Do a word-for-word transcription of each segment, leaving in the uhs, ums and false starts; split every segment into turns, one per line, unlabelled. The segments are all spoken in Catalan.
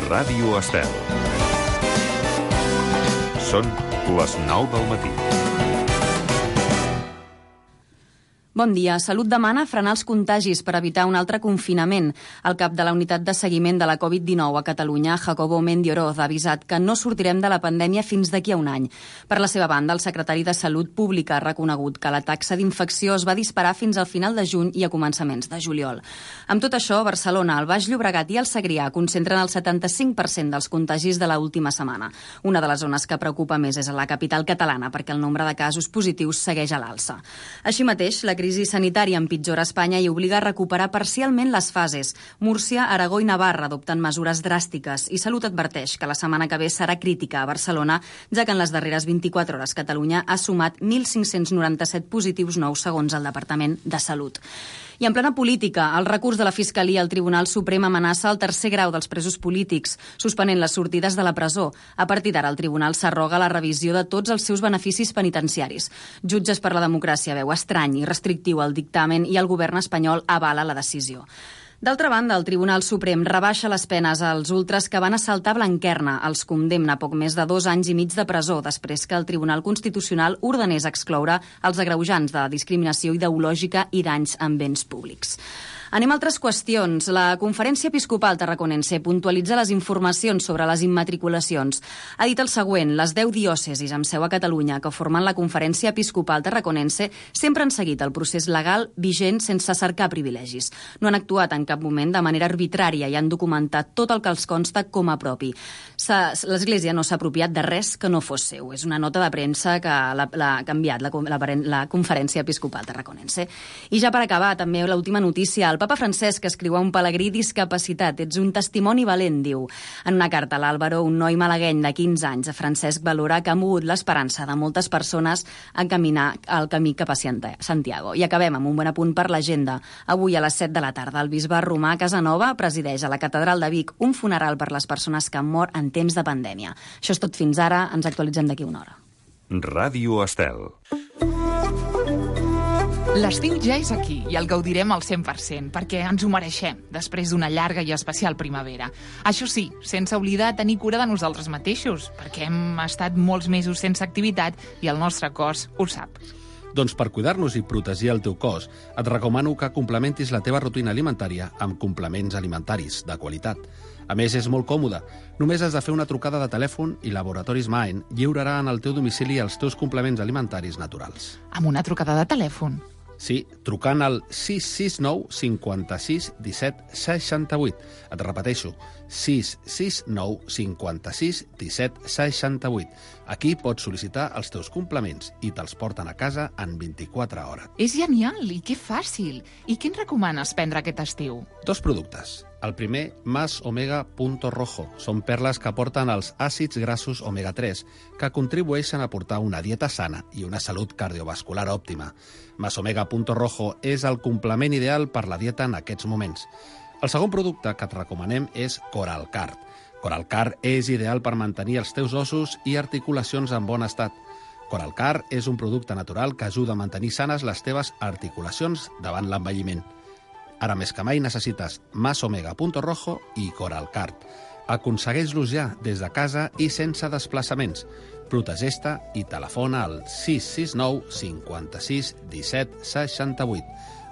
Ràdio Estel. Són les nou del matí.
Bon dia. Salut demana frenar els contagis per evitar un altre confinament. El cap de la unitat de seguiment de la covid dinou a Catalunya, Jacobo Mendioroz, ha avisat que no sortirem de la pandèmia fins d'aquí a un any. Per la seva banda, el secretari de Salut Pública ha reconegut que la taxa d'infecció es va disparar fins al final de juny i a començaments de juliol. Amb tot això, Barcelona, el Baix Llobregat i el Segrià concentren el setanta-cinc per cent dels contagis de l'última setmana. Una de les zones que preocupa més és a la capital catalana, perquè el nombre de casos positius segueix a l'alça. Així mateix, la crisi La crisi sanitària empitjora a Espanya i obliga a recuperar parcialment les fases. Múrcia, Aragó i Navarra adopten mesures dràstiques i Salut adverteix que la setmana que ve serà crítica a Barcelona, ja que en les darreres vint-i-quatre hores Catalunya ha sumat mil cinc-cents noranta-set positius nous segons el Departament de Salut. I en plena política, el recurs de la Fiscalia al Tribunal Suprem amenaça el tercer grau dels presos polítics, suspenent les sortides de la presó. A partir d'ara, el Tribunal s'arroga la revisió de tots els seus beneficis penitenciaris. Jutges per la Democràcia veu estrany i restrictiu el dictamen i el govern espanyol avala la decisió. D'altra banda, el Tribunal Suprem rebaixa les penes als ultres que van assaltar Blanquerna. Els condemna a poc més de dos anys i mig de presó després que el Tribunal Constitucional ordenés excloure els agreujants de discriminació ideològica i danys en béns públics. Anem a altres qüestions. La Conferència Episcopal Tarraconense puntualitza les informacions sobre les immatriculacions. Ha dit el següent: les deu diòcesis amb seu a Catalunya que formen la Conferència Episcopal Tarraconense sempre han seguit el procés legal vigent sense cercar privilegis. No han actuat en cap moment de manera arbitrària i han documentat tot el que els consta com a propi. L'Església no s'ha apropiat de res que no fos seu. És una nota de premsa que l'ha canviat la, la, la Conferència Episcopal Tarraconense. I ja per acabar, també l'última notícia. El Papa Francesc escriu a un pelegrí discapacitat: ets un testimoni valent, diu. En una carta a l'Àlvaro, un noi malagueny de quinze anys, Francesc valora que ha mogut l'esperança de moltes persones a caminar el camí cap a Santiago. I acabem amb un bon apunt per l'agenda. Avui a les set de la tarda, el bisbe Romà Casanova presideix a la Catedral de Vic un funeral per les persones que han mort en temps de pandèmia. Això és tot fins ara. Ens actualitzem d'aquí una hora.
Ràdio Estel.
L'estiu ja és aquí i el gaudirem al cent per cent, perquè ens ho mereixem, després d'una llarga i especial primavera. Això sí, sense oblidar tenir cura de nosaltres mateixos, perquè hem estat molts mesos sense activitat i el nostre cos ho sap.
Doncs per cuidar-nos i protegir el teu cos, et recomano que complementis la teva rutina alimentària amb complements alimentaris de qualitat. A més, és molt còmode. Només has de fer una trucada de telèfon i Laboratoris Maen lliurarà en el teu domicili els teus complements alimentaris naturals.
Amb una trucada de telèfon?
Sí, trucant al sis sis nou cinquanta-sis disset seixanta-vuit. Et repeteixo, sis sis nou cinquanta-sis disset seixanta-vuit. Aquí pots sol·licitar els teus complements i te'ls porten a casa en vint-i-quatre hores.
És genial i que fàcil. I què ens recomanes prendre aquest estiu?
Dos productes. El primer, Más Omega Punto Rojo. Són perles que aporten els àcids grassos omega tres, que contribueixen a portar una dieta sana i una salut cardiovascular òptima. Más Omega Punto Rojo és el complement ideal per la dieta en aquests moments. El segon producte que et recomanem és Coralcard. Coralcard és ideal per mantenir els teus ossos i articulacions en bon estat. Coralcard és un producte natural que ajuda a mantenir sanes les teves articulacions davant l'envelliment. Ara més que mai necessites Más Omega Punto Rojo i Coralcard. Aconsegueix-los ja des de casa i sense desplaçaments. Protegeix-te i telefona al sis sis nou cinquanta-sis disset seixanta-vuit.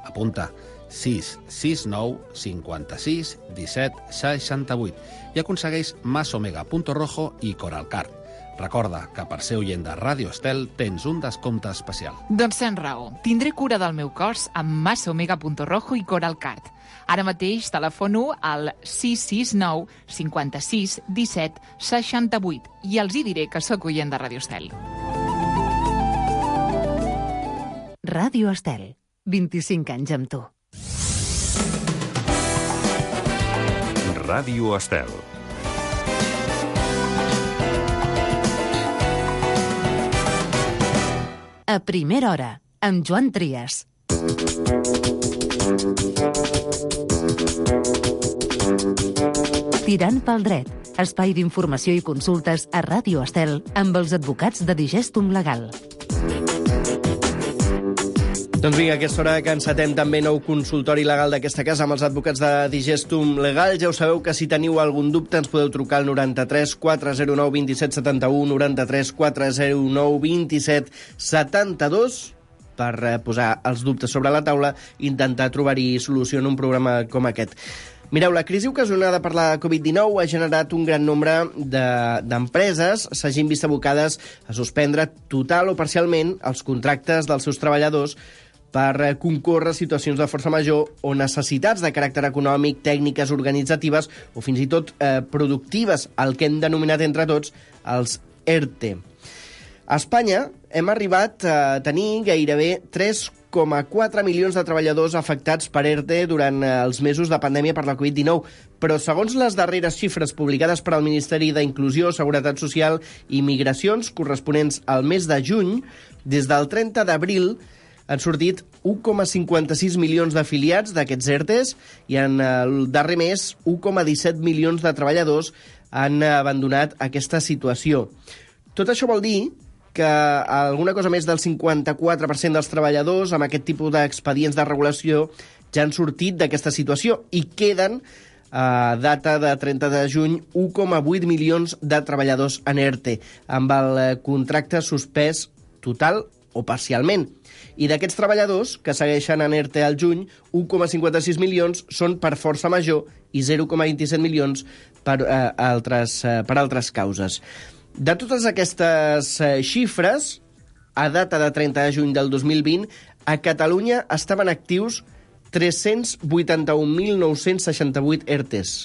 Apunta sis sis nou cinquanta-sis disset seixanta-vuit i aconsegueix Más Omega Punto Rojo i Coralcard. Recorda que per ser oient de Ràdio Estel tens un descompte especial.
Doncs tens raó. Tindré cura del meu cos amb Más Omega Punto Rojo i Coralcard. Ara mateix telefono al sis sis nou cinquanta-sis disset seixanta-vuit i els hi diré que sóc oient de Ràdio Estel.
Ràdio Estel. vint-i-cinc anys amb tu.
Ràdio Estel.
A primera hora, amb Joan Trias. Tirant pel dret, espai d'informació i consultes a Ràdio Estel amb els advocats de Digestum Legal.
Doncs vinga, a aquesta hora que encetem també nou consultori legal d'aquesta casa amb els advocats de Digestum Legal. Ja ho sabeu que si teniu algun dubte ens podeu trucar al noranta-tres quatre zero nou dos set set u, noranta-tres quatre zero nou dos set set dos per posar els dubtes sobre la taula i intentar trobar-hi solució en un programa com aquest. Mireu, la crisi ocasionada per la covid dinou ha generat un gran nombre d'empreses de, s'hagin vist abocades a suspendre total o parcialment els contractes dels seus treballadors per concórrer situacions de força major o necessitats de caràcter econòmic, tècniques organitzatives o fins i tot eh, productives, el que hem denominat entre tots els E R T E. A Espanya hem arribat a tenir gairebé tres coma quatre milions de treballadors afectats per E R T E durant els mesos de pandèmia per la covid dinou, però segons les darreres xifres publicades per al Ministeri d'Inclusió, Seguretat Social i Migracions, corresponents al mes de juny, des del trenta d'abril han sortit un coma cinquanta-sis milions d'afiliats d'aquests E R T Es i en el darrer mes un coma disset milions de treballadors han abandonat aquesta situació. Tot això vol dir que alguna cosa més del cinquanta-quatre per cent dels treballadors amb aquest tipus d'expedients de regulació ja han sortit d'aquesta situació i queden, a data de trenta de juny, un coma vuit milions de treballadors en E R T E, amb el contracte suspès total o parcialment. I d'aquests treballadors que segueixen en E R T E al juny, un coma cinquanta-sis milions són per força major i zero coma vint-i-set milions per, eh, altres, eh, per altres causes. De totes aquestes eh, xifres, a data de trenta de juny del dos mil vint, a Catalunya estaven actius tres-cents vuitanta-un mil nou-cents seixanta-vuit E R T Es.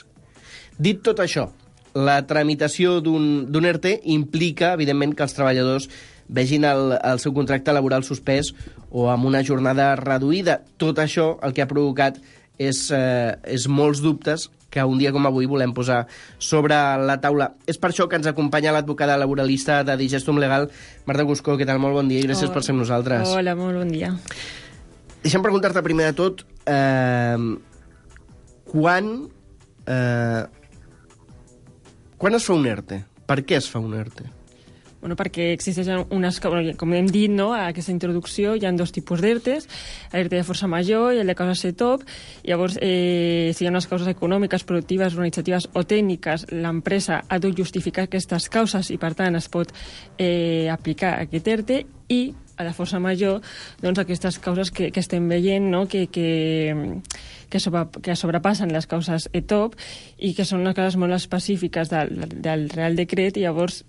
Dit tot això, la tramitació d'un d'un E R T E implica, evidentment, que els treballadors vegin el, el seu contracte laboral suspès o amb una jornada reduïda. Tot això el que ha provocat és, eh, és molts dubtes que un dia com avui volem posar sobre la taula. És per això que ens acompanya l'advocada laboralista de Digestum Legal, Marta Cuscó. Què tal? Molt bon dia i gràcies oh. per ser amb nosaltres.
Hola, molt bon dia.
Deixa'm preguntar-te primer de tot eh, quan, eh, quan es fa un E R T E? Per què es fa un E R T E?
Bueno, perquè existeixen unes... Com hem dit, no?, a aquesta introducció hi ha dos tipus d'E R T Es, l'E R T E de força major i el de causa C E T O P. Llavors, eh, si hi ha unes causes econòmiques, productives, organitzatives o tècniques, l'empresa ha de justificar aquestes causes i, per tant, es pot eh, aplicar aquest E R T E i a la força major, doncs, aquestes causes que, que estem veient, no?, que, que, que, sobre, que sobrepassen les causes E T O P i que són unes causes molt específiques del, del Real Decret i llavors,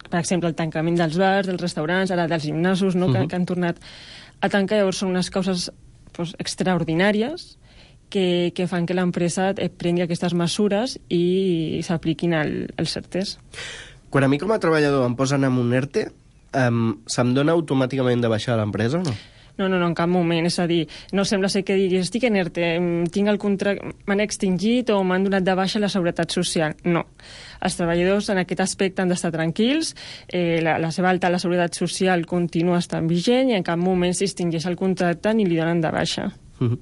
per exemple, el tancament dels bars, dels restaurants, ara dels gimnasos, no?, uh -huh. que, que han tornat a tancar. Llavors són unes causes pues, extraordinàries que, que fan que l'empresa prengui aquestes mesures i s'apliquin al, als E R T Es.
Quan a mi com a treballador em posen en un E R T E, um, se'm dona automàticament de baixar a l'empresa o no?
No, no, no, en cap moment. És a dir, no sembla ser que diguis estic en E R T E, tinc el contracte, m'han extingit o m'han donat de baixa la Seguretat Social. No. Els treballadors en aquest aspecte han d'estar tranquils, eh, la, la seva alta a la Seguretat Social continua estant vigent i en cap moment s'extingeix el contracte ni li donen de baixa.
Uh-huh.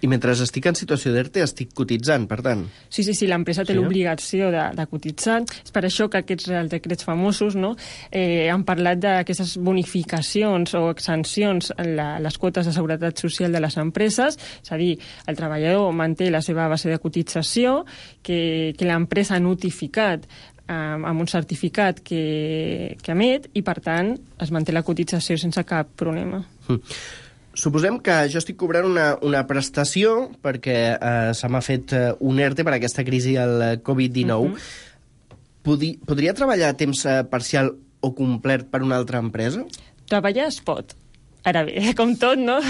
I mentre estic en situació d'E R T E estic cotitzant, per tant?
Sí, sí, sí, l'empresa té sí, l'obligació de, de cotitzar. És per això que aquests Real Decrets famosos, no?, eh, han parlat d'aquestes bonificacions o exempcions en la, les quotes de seguretat social de les empreses. És a dir, el treballador manté la seva base de cotització, que, que l'empresa ha notificat eh, amb un certificat que, que emet i, per tant, es manté la cotització sense cap problema.
Mm. Suposem que jo estic cobrant una, una prestació perquè eh, se m'ha fet eh, un E R T E per aquesta crisi del covid dinou. Uh-huh. Podri, podria treballar a temps eh, parcial o complet per una altra empresa?
Treballar es pot. Ara bé, com tot, no?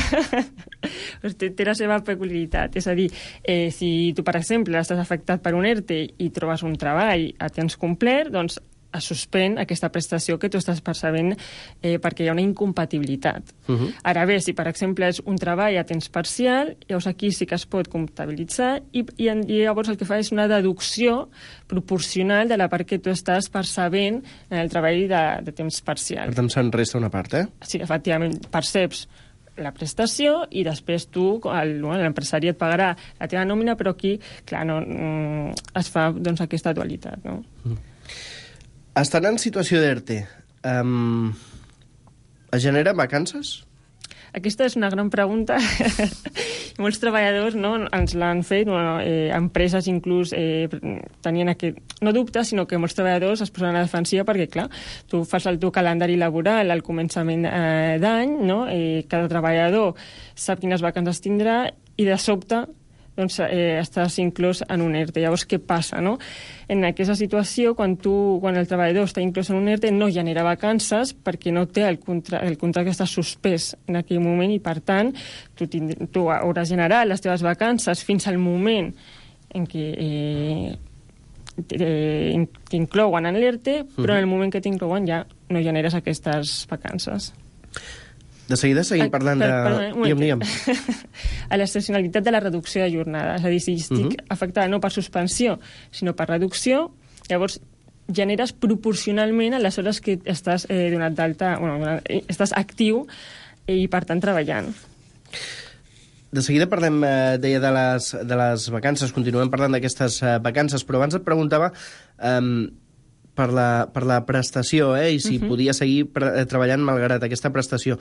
té, té la seva peculiaritat. És a dir, eh, si tu, per exemple, estàs afectat per un E R T E i trobes un treball a temps complet, doncs es suspèn aquesta prestació que tu estàs percebent eh, perquè hi ha una incompatibilitat. Uh-huh. Ara bé, si per exemple és un treball a temps parcial, llavors aquí sí que es pot comptabilitzar i, i, i llavors el que fa és una deducció proporcional de la part que tu estàs percebent en el treball de, de temps parcial.
Per tant, se'n resta una part, eh?
Sí, efectivament, perceps la prestació i després tu, l'empresari et pagarà la teva nòmina, però aquí, clar, no, es fa doncs, aquesta dualitat, no? Uh-huh.
Estan en situació d'E R T E. Um, es generen vacances?
Aquesta és una gran pregunta. Molts treballadors, no, ens l'han fet, bueno, eh, empreses inclús eh, tenien aquest, no dubte, sinó que molts treballadors es posen a la defensiva perquè, clar, tu fas el teu calendari laboral al començament eh, d'any, no? Eh, cada treballador sap quines vacances tindrà i de sobte doncs, eh, estàs inclòs en un ERTE. Llavors, què passa, no? En aquesta situació, quan, tu, quan el treballador està inclòs en un ERTE, no genera vacances perquè no té el, contra el contracte està suspès en aquell moment i, per tant, tu, tind tu hauràs generat les teves vacances fins al moment en què eh, t'inclouen en l'ERTE, però en el moment que t'inclouen ja no generes aquestes vacances.
De seguida seguim parlant de...
Per, per,
digue'm, digue'm.
A l'excepcionalitat de la reducció de jornada. És a dir, si estic uh -huh. afectada no per suspensió, sinó per reducció, llavors generes proporcionalment a les hores que estàs eh, donat d'alta, bueno, estàs actiu i, per tant, treballant.
De seguida parlem, eh, deia, de les, de les vacances, continuem parlant d'aquestes eh, vacances, però abans et preguntava... Eh, Per la, per la prestació, eh? I si uh -huh. podia seguir treballant malgrat aquesta prestació.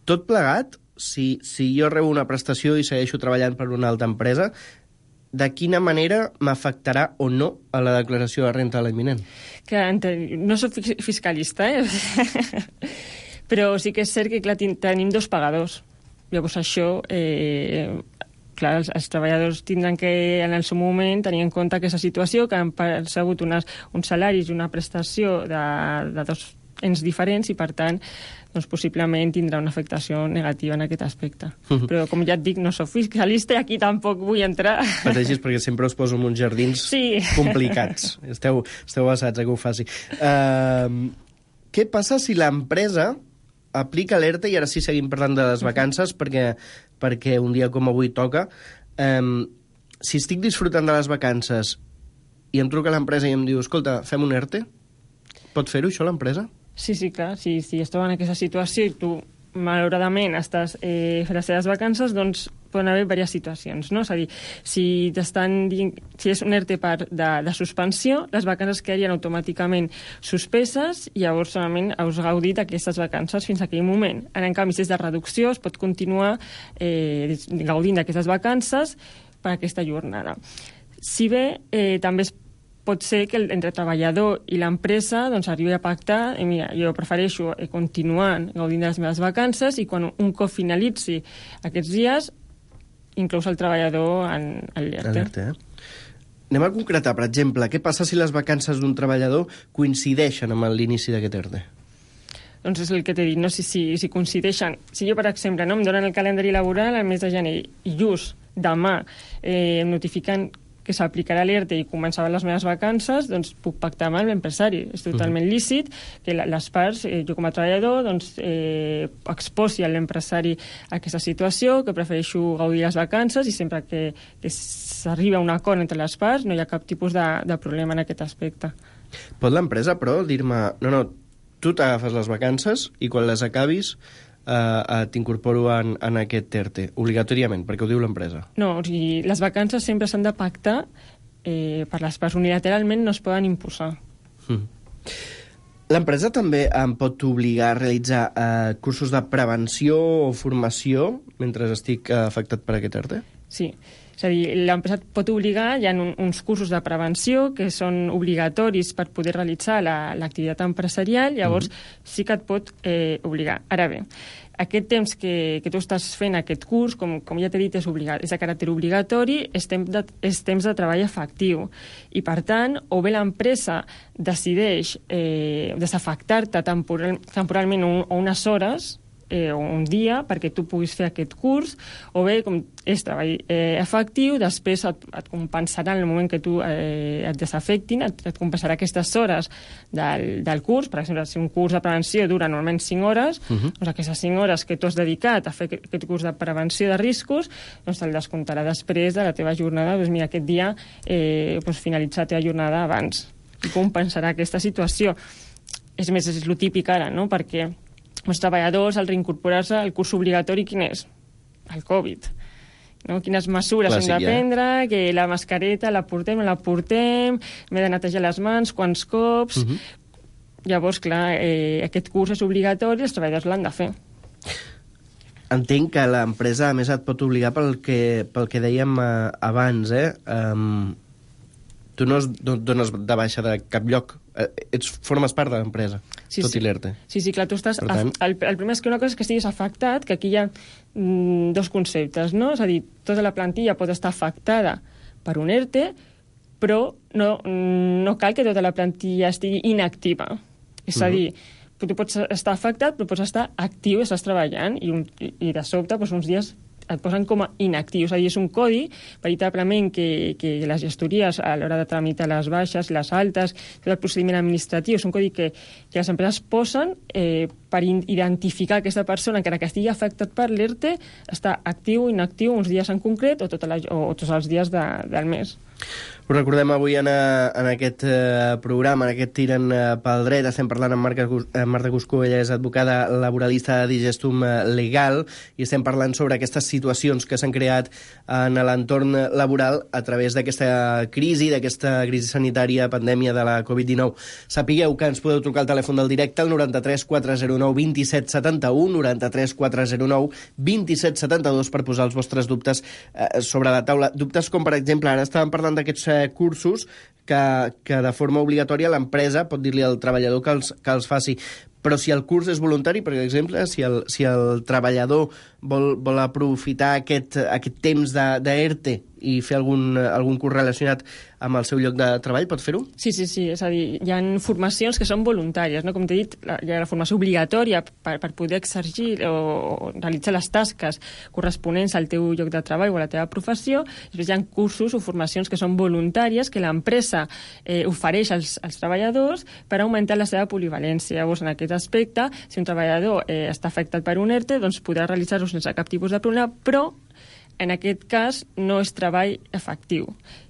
Tot plegat, si, si jo rebo una prestació i segueixo treballant per una altra empresa, de quina manera m'afectarà o no a la declaració de renta de l'any vinent?
Que no soc fiscalista, eh? Però sí que és cert que, clar, tenim dos pagadors. Llavors això... Eh, clar, els, els treballadors tindran que, en el seu moment, tenir en compte aquesta situació, que han percebut unes, uns salaris i una prestació de, de dos ens diferents i, per tant, doncs, possiblement tindrà una afectació negativa en aquest aspecte. Uh-huh. Però, com ja et dic, no soc fiscalista i aquí tampoc vull entrar.
Pateixis perquè sempre us poso en uns jardins
sí.
complicats. Esteu, esteu basats a que ho faci. Uh, què passa si l'empresa aplica l'ERTE, i ara sí seguim parlant de les vacances, uh-huh. perquè perquè un dia com avui toca, um, si estic disfrutant de les vacances i em truca l'empresa i em diu, escolta, fem un ERTE? Pot fer-ho, això, l'empresa?
Sí, sí, clar. Si, si esteu en aquesta situació i tu, malauradament, estàs eh, fent les teves vacances, doncs poden haver diverses situacions, no? És a dir, si t'estan dient, si és un ERTE per de, de suspensió, les vacances quedarien automàticament suspeses i llavors solament us gaudit aquestes vacances fins a aquell moment. Ara, en canvi, si és de reducció, es pot continuar eh, gaudint d'aquestes vacances per aquesta jornada. Si bé, eh, també es pot ser que entre el treballador i l'empresa doncs, arribi a pactar, eh, mira, jo prefereixo eh, continuar gaudint de les meves vacances i quan un cop finalitzi aquests dies inclús el treballador en l'ERTE.
Eh? Anem a concretar, per exemple, què passa si les vacances d'un treballador coincideixen amb l'inici d'aquest ERTE?
Doncs és el que t'he dit, no? Si, si, si coincideixen... Si jo, per exemple, no, em donen el calendari laboral al mes de gener i just demà eh, em notifiquen que s'aplicarà l'ERTE i començaven les meves vacances, doncs puc pactar amb l'empresari. És totalment uh-huh. lícit que les parts, eh, jo com a treballador, doncs, eh, exposi a l'empresari aquesta situació, que prefereixo gaudir les vacances i sempre que, que s'arriba a un acord entre les parts no hi ha cap tipus de, de problema en aquest aspecte.
Pot l'empresa, però, dir-me, no, no, tu t'agafes les vacances i quan les acabis Uh, uh, t'incorporo en, en aquest ERTE, obligatòriament, perquè ho diu l'empresa.
No, o sigui, les vacances sempre s'han de pactar eh, per les parts, unilateralment no es poden imposar.
Mm. L'empresa també em pot obligar a realitzar uh, cursos de prevenció o formació mentre estic uh, afectat per aquest ERTE?
Sí. És a dir, l'empresa et pot obligar, hi ha un, uns cursos de prevenció que són obligatoris per poder realitzar l'activitat la, empresarial, llavors mm-hmm. sí que et pot eh, obligar. Ara bé, aquest temps que, que tu estàs fent aquest curs, com, com ja t'he dit, és, obligat, és de caràcter obligatori, és temps, de, és temps de treball efectiu. I, per tant, o bé l'empresa decideix eh, desafectar-te temporal, temporalment un, o unes hores, eh, un dia perquè tu puguis fer aquest curs, o bé, com és treball eh, efectiu, després et, et compensarà en el moment que tu eh, et desafectin, et, et compensarà aquestes hores del, del curs. Per exemple, si un curs de prevenció dura normalment cinc hores, uh-huh. doncs aquestes cinc hores que tu has dedicat a fer aquest, aquest curs de prevenció de riscos, doncs te'l descomptarà després de la teva jornada. Doncs mira, aquest dia eh, doncs finalitza la teva jornada abans i compensarà aquesta situació. És més, és el típic ara, no?, perquè els treballadors, al reincorporar-se, el curs obligatori, quin és? El Covid. No? Quines mesures
Clàssic,
hem de prendre, ja. Que la mascareta la portem, no la portem, m'he de netejar les mans, quants cops... Uh-huh. Llavors, clar, eh, aquest curs és obligatori, els treballadors l'han de fer.
Entenc que l'empresa, a més, et pot obligar pel que, pel que dèiem uh, abans, eh? Um, tu no es dones de baixa de cap lloc. Uh, ets, formes part de l'empresa,
sí,
tot
sí.
i l'E R T E.
Sí, sí, clar, tu estàs...
tant...
El, el primer és que una cosa és que estiguis afectat, que aquí hi ha mm, dos conceptes, no? És a dir, tota la plantilla pot estar afectada per un E R T E, però no, no cal que tota la plantilla estigui inactiva. És a dir, tu pots estar afectat, però pots estar actiu, estàs treballant, i, un, i de sobte, doncs, uns dies et posen com a inactiu. És a dir, és un codi, veritablement, que, que les gestories, a l'hora de tramitar les baixes, les altes, tot el procediment administratiu, és un codi que, que les empreses posen eh, per identificar aquesta persona, encara que estigui afectat per l'E R T E, està actiu o inactiu uns dies en concret o, tota la, o, o tots els dies de, del mes.
Us recordem avui en, en aquest eh, programa, en aquest Tiren eh, pel dret, estem parlant amb Marta, eh, Marta Cuscó, ella és advocada laboralista de Digestum Legal, i estem parlant sobre aquestes situacions que s'han creat en l'entorn laboral a través d'aquesta crisi, d'aquesta crisi sanitària, pandèmia de la covid dinou. Sapigueu que ens podeu trucar al telèfon del directe, al noranta-tres quatre zero nou vint set setanta-u, noranta-tres quatre zero nou vint set setanta-dos, per posar els vostres dubtes eh, sobre la taula. Dubtes com, per exemple, ara estàvem parlant d'aquests eh, cursos que, que de forma obligatòria l'empresa pot dir-li al treballador que els, que els faci. Però si el curs és voluntari, per exemple, si el, si el treballador vol, vol aprofitar aquest, aquest temps de, de E R T E i fer algun, algun curs relacionat amb el seu lloc de treball, pot fer-ho?
Sí, sí, sí. És a dir, hi ha formacions que són voluntàries, no? Com t'he dit, hi ha la formació obligatòria per, per poder exercir o realitzar les tasques corresponents al teu lloc de treball o a la teva professió. Després hi ha cursos o formacions que són voluntàries que l'empresa eh, ofereix als, als treballadors per augmentar la seva polivalència. Llavors, en aquest aspecte, si un treballador eh, està afectat per un E R T E, doncs podrà realitzar-ho sense cap tipus de problema, però en aquest cas no és treball efectiu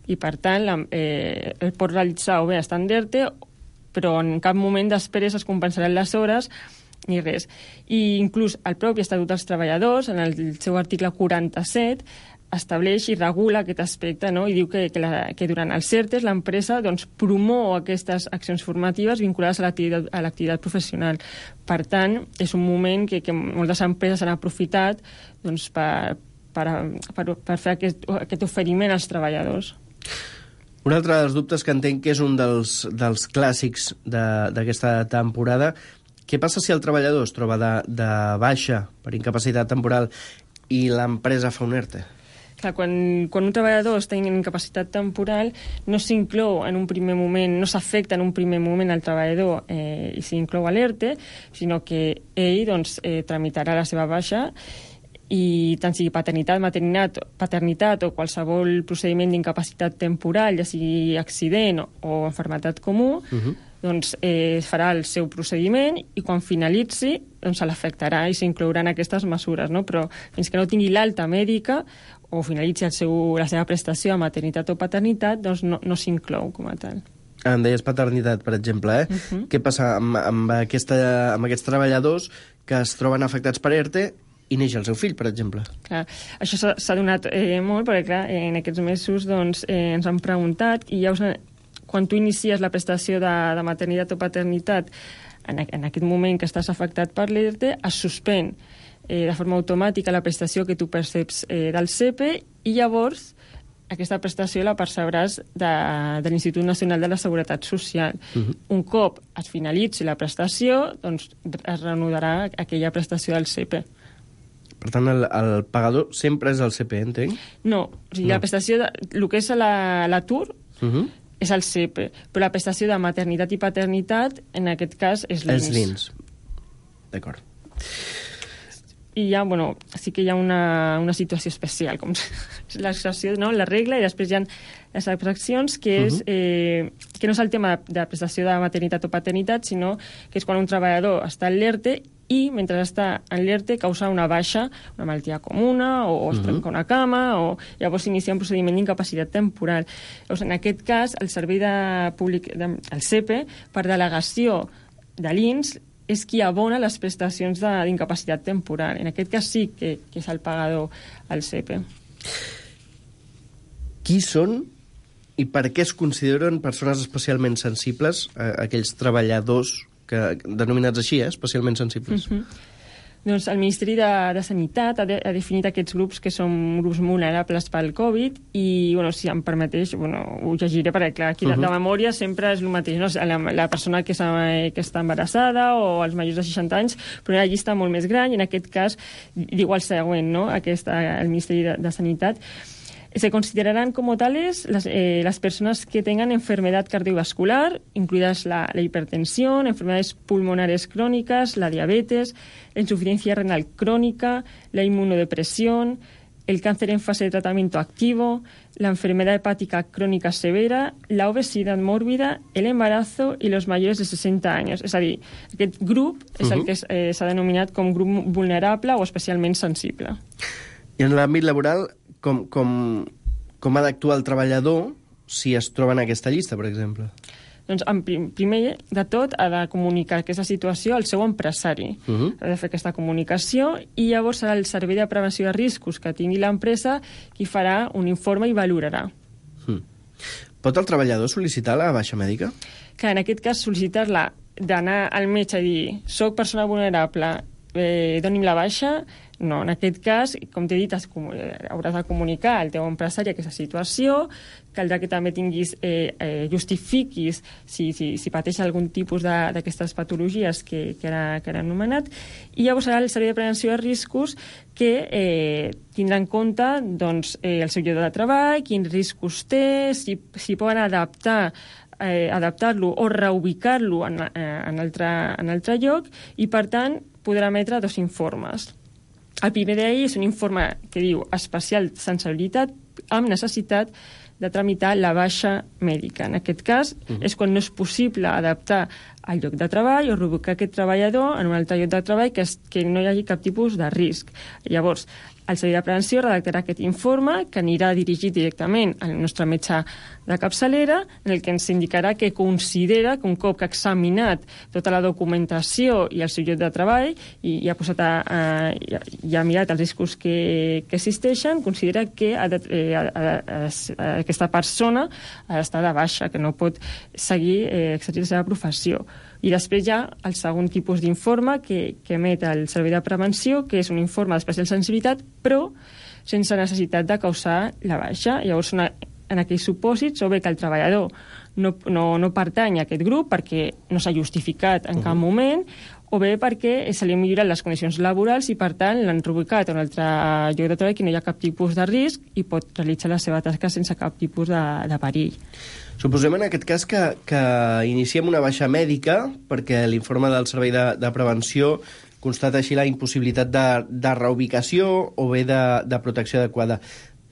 i per tant la, eh, el pot realitzar o bé estant d'E R T E, però en cap moment després es compensaran les hores ni res. I inclús el propi Estatut dels Treballadors, en el seu article quaranta-set, estableix i regula aquest aspecte, no? I diu que, que, la, que durant els E R T Es l'empresa doncs, promou aquestes accions formatives vinculades a l'activitat, a l'activitat professional. Per tant, és un moment que, que moltes empreses han aprofitat doncs, per, per, per, per fer aquest, aquest oferiment als treballadors.
Un altre dels dubtes que entenc que és un dels, dels clàssics d'aquesta temporada: què passa si el treballador es troba de, de baixa per incapacitat temporal i l'empresa fa un E R T E?
Clar, quan, quan un treballador està en incapacitat temporal, no s'inclou en un primer moment, no s'afecta en un primer moment al treballador eh, i s'inclou a l'E R T E, sinó que ell doncs, eh, tramitarà la seva baixa, i tant sigui paternitat, maternitat, paternitat o qualsevol procediment d'incapacitat temporal, ja sigui accident o, o malaltia comú, uh-huh. doncs eh, farà el seu procediment i quan finalitzi doncs, se l'afectarà i s'inclouran aquestes mesures, no? Però fins que no tingui l'alta mèdica o finalitzi el seu, la seva prestació a maternitat o paternitat, doncs no, no s'inclou com a tal.
Em deies paternitat, per exemple, eh? Uh-huh. Què passa amb, amb, aquesta, amb aquests treballadors que es troben afectats per E R T E i neix el seu fill, per exemple?
Clar, això s'ha donat eh, molt, perquè clar, en aquests mesos doncs, eh, ens han preguntat i ja us, quan tu inicies la prestació de, de maternitat o paternitat, en, en aquest moment que estàs afectat per l'E R T E, es suspèn eh, de forma automàtica la prestació que tu perceps eh, del S E P E i llavors aquesta prestació la percebràs de, de l'Institut Nacional de la Seguretat Social. Uh-huh. Un cop es finalitzi la prestació, doncs es reanudarà aquella prestació del S E P E.
Per tant, el, el pagador sempre és el S E P E, entenc?
No, o sigui, no. La prestació, de, el que és l'atur, la, uh-huh. és el S E P E, però la prestació de maternitat i paternitat, en aquest cas, és l'I N S.
És l'I N S. D'acord.
I ja, bueno, sí que hi ha una, una situació especial, com l'excepció, no?, la regla, i després hi ha les excepcions, que és uh-huh. eh, que no és el tema de prestació de maternitat o paternitat, sinó que és quan un treballador està en l'E R T E i, mentre està en l'E R T E, causa una baixa, una malaltia comuna, o es trenca uh-huh. una cama, o llavors s'inicia un procediment d'incapacitat temporal. Llavors, en aquest cas, el servei de públic, de, el S E P E, per delegació de l'I N S, és qui abona les prestacions d'incapacitat temporal. En aquest cas sí que, que és el pagador al S E P E.
Qui són i per què es consideren persones especialment sensibles, eh, aquells treballadors que, denominats així, eh, especialment sensibles?
Uh-huh. Doncs el Ministeri de, de Sanitat ha, de, ha definit aquests grups que són grups vulnerables pel Covid i, bueno, si em permeteix, bueno, ho llegiré perquè, clar, aquí uh -huh. de, de memòria sempre és el mateix, no? La, la persona que, que està embarassada o els majors de seixanta anys, però una llista molt més gran i en aquest cas diu el següent, no? Aquesta, el Ministeri de, de Sanitat. Se considerarán como tales las, eh, las personas que tengan enfermedad cardiovascular, incluidas la, la hipertensión, enfermedades pulmonares crónicas, la diabetes, la insuficiencia renal crónica, la inmunodepresión, el cáncer en fase de tratamiento activo, la enfermedad hepática crónica severa, la obesidad mórbida, el embarazo y los mayores de seixanta anys. És a dir, aquest grup és uh-huh. el que eh, s'ha denominat com grup vulnerable o especialment sensible.
I en l'àmbit laboral, com, com, com ha d'actuar el treballador si es troba en aquesta llista, per exemple?
Doncs, en prim, primer de tot, ha de comunicar aquesta situació al seu empresari. Uh-huh. Ha de fer aquesta comunicació i llavors serà el Servei de Prevenció de Riscos que tingui l'empresa qui farà un informe i valorarà.
Uh-huh. Pot el treballador sol·licitar la baixa mèdica?
Que en aquest cas sol·licitar-la d'anar al metge i dir soc persona vulnerable, eh, doni'm la baixa. No, en aquest cas, com t'he dit, has, hauràs de comunicar al teu empresari aquesta situació, caldrà que també tinguis, eh, eh, justifiquis si, si, si pateix algun tipus d'aquestes patologies que, que, ara, que ara he anomenat, i llavors serà el Servei de Prevenció de Riscos que eh, tindrà en compte doncs, eh, el seu lloc de treball, quins riscos té, si, si poden adaptar eh, adaptar-lo o reubicar-lo en, eh, en, altre, en altre lloc, i per tant podrà emetre dos informes. El primer d'ahir és un informe que diu especial sensibilitat amb necessitat de tramitar la baixa mèdica. En aquest cas, uh-huh. és quan no és possible adaptar el lloc de treball o reubicar aquest treballador en un altre lloc de treball que, es, que no hi hagi cap tipus de risc. Llavors, el Servei de Prevenció redactarà aquest informe que anirà dirigit directament al nostre metge de capçalera, en el que ens indicarà que considera que un cop que ha examinat tota la documentació i el seu lloc de treball i, i ha posat a, a, i ha mirat els riscos que, que existeixen, considera que ha de, eh, a, a, a, aquesta persona ha d'estar de baixa, que no pot seguir eh, exercint la seva professió. I després hi ha el segon tipus d'informe que, que emet el Servei de Prevenció, que és un informe d'especial sensibilitat, però sense necessitat de causar la baixa. Llavors, una, en aquells supòsits, o bé que el treballador no, no, no pertany a aquest grup perquè no s'ha justificat en uh-huh. cap moment, o bé perquè se li han millorat les condicions laborals i, per tant, l'han reubicat a un altre lloc de treball que no hi ha cap tipus de risc i pot realitzar la seva tasca sense cap tipus de, de perill.
Suposem en aquest cas que, que iniciem una baixa mèdica perquè l'informe del Servei de, de Prevenció constata així la impossibilitat de, de reubicació o bé de, de protecció adequada.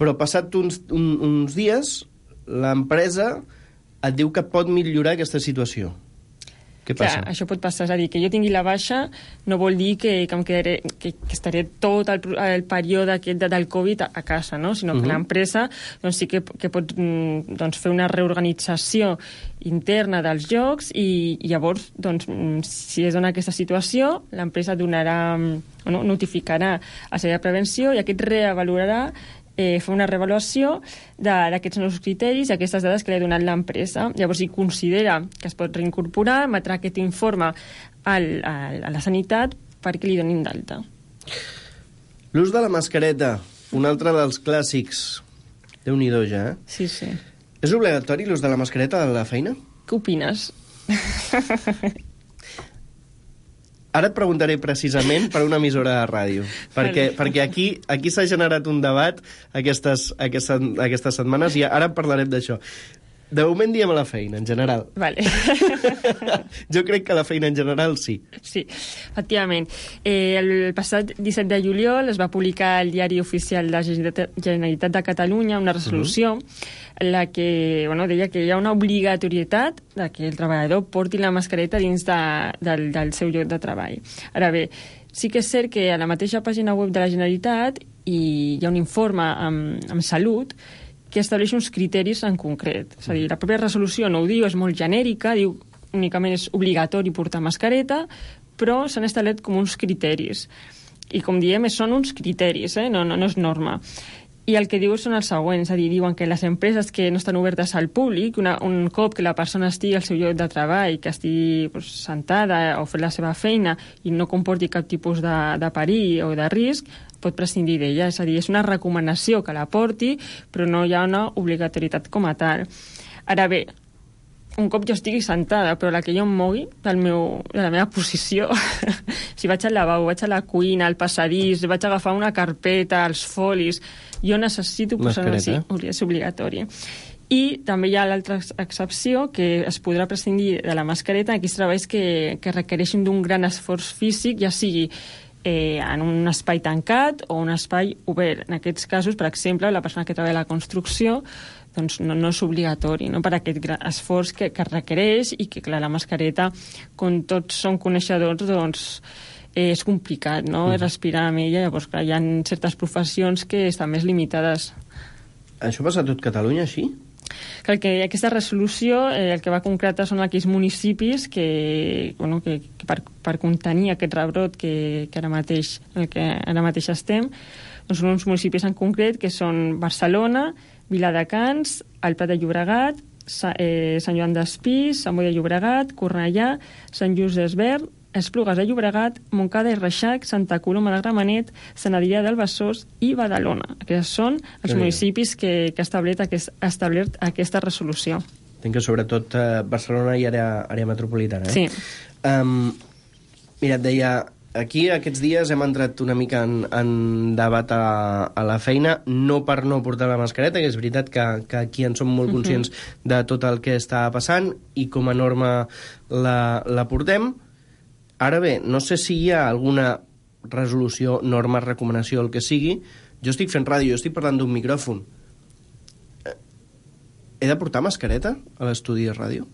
Però passat uns, un, uns dies, l'empresa et diu que pot millorar aquesta situació. Què passa?
Clar, això pot passar, és a dir, que jo tingui la baixa no vol dir que, que, em quedaré, que, que estaré tot el, el període aquest de, del Covid a, a casa, no? Sinó que uh-huh. l'empresa doncs, sí que, que pot doncs, fer una reorganització interna dels llocs i, i llavors, doncs, si es dona aquesta situació, l'empresa donarà, no, notificarà a Servei de Prevenció i aquest reavalorarà Eh, fer una reavaluació d'aquests nous criteris i aquestes dades que li ha donat l'empresa. Llavors, si considera que es pot reincorporar, emetrà aquest informe al, al, a la sanitat perquè li donin d'alta.
L'ús de la mascareta, un altre dels clàssics. Déu-n'hi-do ja, eh?
Sí, sí.
És obligatori l'ús de la mascareta a la feina?
Què opines?
Ara et preguntaré precisament per una emissora de ràdio, perquè, vale. perquè aquí, aquí s'ha generat un debat aquestes, aquestes, aquestes setmanes i ara parlarem d'això. De moment diem a la feina, en general.
Vale.
Jo crec que a la feina en general sí.
Sí, efectivament. Eh, el passat disset de juliol es va publicar al Diari Oficial de la Generalitat de Catalunya una resolució uh-huh. en la que bueno, deia que hi ha una obligatorietat de que el treballador porti la mascareta dins de, del, del seu lloc de treball. Ara bé, sí que és cert que a la mateixa pàgina web de la Generalitat hi ha un informe amb, amb Salut que estableix uns criteris en concret. És a dir, la pròpia resolució no ho diu, és molt genèrica, diu únicament és obligatori portar mascareta, però s'han establert com uns criteris. I com diem, són uns criteris, eh? no, no, no és norma. I el que diu són els següents, és a dir, diuen que les empreses que no estan obertes al públic, una, un cop que la persona estigui al seu lloc de treball, que estigui pues, sentada o fent la seva feina i no comporti cap tipus de, de perill o de risc, pot prescindir d'ella. És a dir, és una recomanació que la porti, però no hi ha una obligatorietat com a tal. Ara bé, un cop jo estigui sentada, però la que jo em mogui del meu, de la meva posició, si vaig al lavabo, vaig a la cuina, al passadís, vaig a agafar una carpeta, els folis, jo necessito posar-ho així, és obligatori. I també hi ha l'altra excepció, que es podrà prescindir de la mascareta en aquells treballs que, que requereixin d'un gran esforç físic, ja sigui eh, en un espai tancat o un espai obert. En aquests casos, per exemple, la persona que treballa a la construcció doncs no, no és obligatori, no? Per aquest gran esforç que, que requereix i que, clar, la mascareta, com tots són coneixedors, doncs eh, és complicat, no?, mm. respirar amb ella. Llavors, clar, hi ha certes professions que estan més limitades.
Això passa a tot Catalunya, així?
Que, que aquesta resolució eh, el que va concretar són aquells municipis que, bueno, que, que per, per contenir aquest rebrot que, que ara mateix el que ara mateix estem, doncs són uns municipis en concret que són Barcelona, Viladecans, el Prat de Llobregat, Sa, eh, Sant Joan d'Espí, Sant Boi de Llobregat, Cornellà, Sant Just Desvern, Esplugues de Llobregat, Montcada i Reixac, Santa Coloma de Gramenet, Sant Adrià del Besòs i Badalona. Aquests són els sí. municipis que, que ha establert, aquest, ha establert aquesta resolució.
Entenc que sobretot eh, Barcelona i àrea, àrea metropolitana. Eh?
Sí.
Um, mira, et deia, aquí aquests dies hem entrat una mica en, en debat a, a la feina, no per no portar la mascareta, que és veritat que, que aquí en som molt conscients uh-huh. de tot el que està passant i com a norma la, la portem. Ara bé, no sé si hi ha alguna resolució, norma, recomanació, el que sigui. Jo estic fent ràdio, jo estic parlant d'un micròfon. He de portar mascareta a l'estudi de ràdio?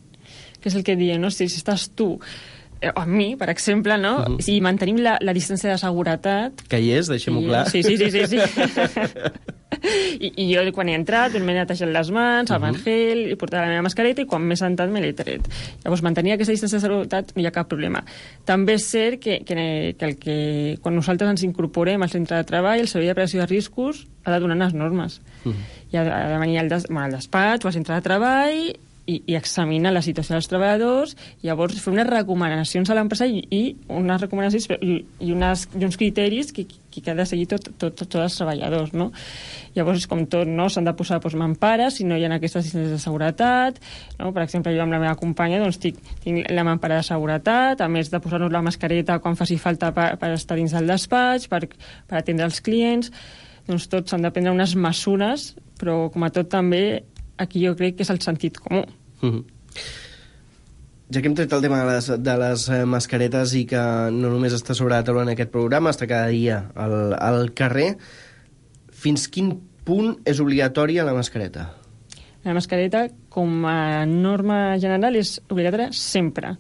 Que és el que diem, no? Si, si estàs tu, eh, o amb mi, per exemple, no? Uh-huh. Si mantenim la, la distància de seguretat...
Que hi és, deixem-ho
i, clar. Sí, sí, sí, sí. sí. I, I jo, quan he entrat, m'he netejat les mans, el uh-huh. gel, he portat la meva mascareta i quan m'he sentat me l'he tret. Llavors, mantenir aquesta distància de seguretat no hi ha cap problema. També és cert que, que, que, el que quan nosaltres ens incorporem al centre de treball, el Servei de Prevenció de Riscos ha de donar unes normes. Uh-huh. I ha, ha de venir al, des, bueno, al despatx o al centre de treball i, i examinar la situació dels treballadors, i llavors fer unes recomanacions a l'empresa i, i unes recomanacions i, i, unes, i uns criteris que, que, que ha de seguir tot, tot, tot, tots els treballadors, no? Llavors és com tot, no? S'han de posar doncs, mampares si no hi ha aquestes distàncies de seguretat, no? Per exemple, jo amb la meva companya doncs, tinc, tinc la mampara de seguretat, a més de posar-nos la mascareta quan faci falta per, per estar dins del despatx, per, per atendre els clients. Doncs tots s'han de prendre unes mesures, però com a tot també aquí jo crec que és el sentit comú.
Uh-huh. Ja que hem tret el tema de les, de les mascaretes i que no només està sobre la taula en aquest programa, està cada dia al, al carrer, fins quin punt és obligatòria la mascareta?
La mascareta, com a norma general, és obligatòria sempre.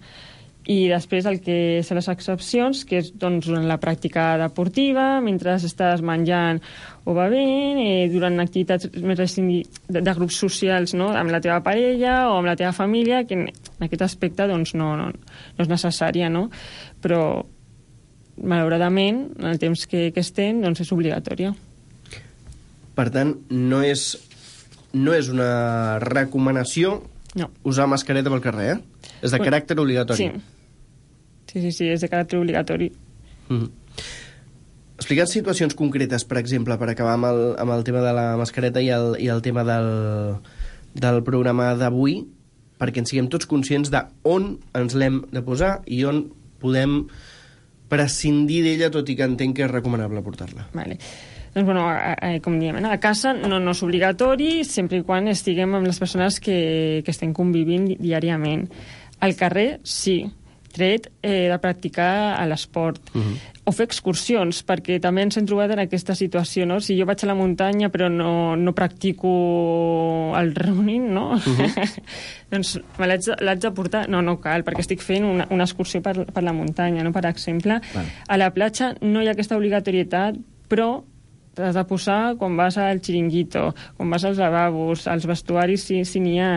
I després el que són les excepcions, que és doncs, durant la pràctica deportiva, mentre estàs menjant o bevent, eh, durant activitats més de, de grups socials, no? Amb la teva parella o amb la teva família, que en, en aquest aspecte doncs, no, no, no és necessària, no? Però, malauradament, en el temps que, que estem, doncs és obligatòria.
Per tant, no és, no és una recomanació
no.
usar mascareta pel carrer, eh? És de caràcter obligatori.
Sí. Sí, sí, sí, és de caràcter obligatori.
Mm-hmm. Explicant situacions concretes, per exemple, per acabar amb el, amb el tema de la mascareta i el, i el tema del, del programa d'avui, perquè en siguem tots conscients d'on ens l'hem de posar i on podem prescindir d'ella, tot i que entenc que és recomanable portar-la.
Vale. Doncs, bueno, a, a, com diem, a casa no, no és obligatori, sempre i quan estiguem amb les persones que, que estem convivint diàriament. Al carrer, sí, tret eh, de practicar a l'esport. Uh-huh. O fer excursions, perquè també ens hem trobat en aquesta situació, no? Si jo vaig a la muntanya però no, no practico el running, no? Uh-huh. doncs me l'haig de, l'haig de portar... No, no cal, perquè estic fent una, una excursió per, per la muntanya, no? Per exemple, vale. A la platja no hi ha aquesta obligatorietat, però t'has de posar quan vas al xiringuito, quan vas als lavabos, als vestuaris si, si n'hi ha.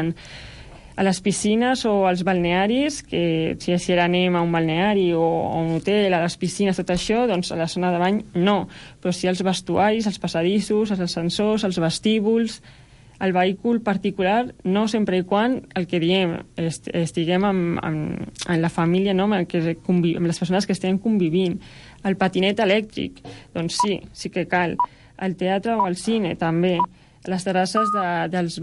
A les piscines o als balnearis, que si, si ara anem a un balneari o a un hotel, a les piscines, tot això, doncs a la zona de bany no. Però sí als vestuaris, als passadissos, als ascensors, als vestíbuls, al vehícul particular, no, sempre i quan el que diem, est estiguem amb, amb, amb la família, no? amb, el que conviv amb les persones que estem convivint. El patinet elèctric, doncs sí, sí que cal. Al teatre o al cine, també. Les terrasses de, dels